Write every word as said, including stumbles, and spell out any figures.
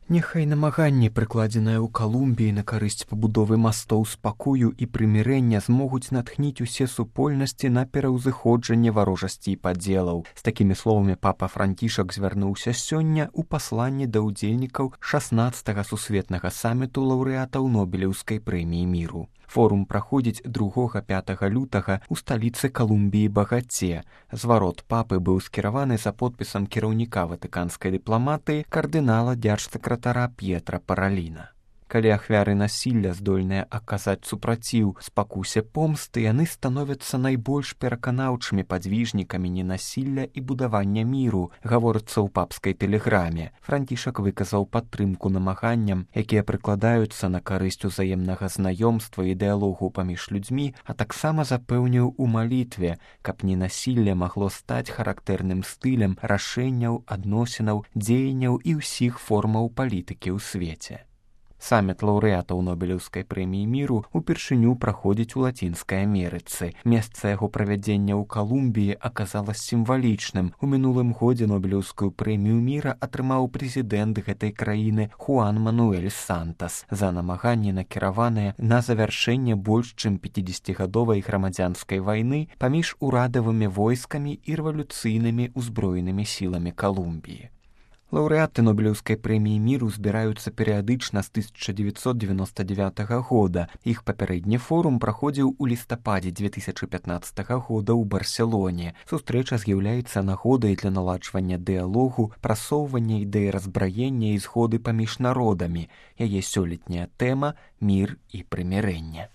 Няхай намаганні, прыкладзеныя ў Калумбіі на карысць пабудовы мастоў спакою і прымірэння, змогуць натхніць усе супольнасці на пераўзыходжанне варожасці і падзелаў. З такімі словамі папа Францішак звярнуўся сёння ў пасланні да ўдзельнікаў шаснаццатага сусветнага саміту лаўрэатаў Нобелеўскай прэміі міру. Форум праходзіць другога-пятага лютага ў сталіцы Калумбіі Багаце. Зварот папы быў скіраваны за подпісам кіраўніка ватыканскай дыпламатыі кардынала дзяржсакратара П'етра Параліна. Калі ахвяры насілля здольныя аказаць супраціў спакусе помсты, яны становяцца найбольш пераканаўчымі падвіжнікамі ненасілля і будавання міру, гаворыцца ў папскай тэлеграме. Францішак выказаў падтрымку намаганням, якія прыкладаюцца на карысць узаемнага знаёмства і дыялогу паміж людзьмі, а таксама запэўніў у малітве, каб ненасілле магло стаць характэрным стылем рашэнняў, адносінаў, дзеянняў і ўсіх формаў палітыкі ў свеце. Саміт лаўрэатаў Нобелеўскай прэміі міру упершыню праходзіць у Лацінскай Амерыцы. Месца яго правядзення ў Калумбіі аказалася сімвалічным. У мінулым годзе Нобелеўскую прэмію міра атрымаў прэзідэнт гэтай краіны Хуан Мануэль Сантас за намаганні, накіраваныя на завяршэнне больш чым пяцідзесяцігадовай грамадзянскай вайны паміж урадавымі войскамі і рэвалюцыйнымі ўзброенымі сіламі Калумбіі. Лаўрэаты Нобелеўскай прэміі міру збіраюцца перыядычна з тысяча дзевяцьсот дзевяноста дзевятага года. Іх папярэдні форум праходзіў у лістападзе дзве тысячы пятнаццатага года ў Барселоне. Сустрэча з'яўляецца нагодай для наладжвання дыялогу, прасоўвання ідэі разбраення і згоды паміж народамі. Яе сёлетняя тэма — мір і прымірэнне.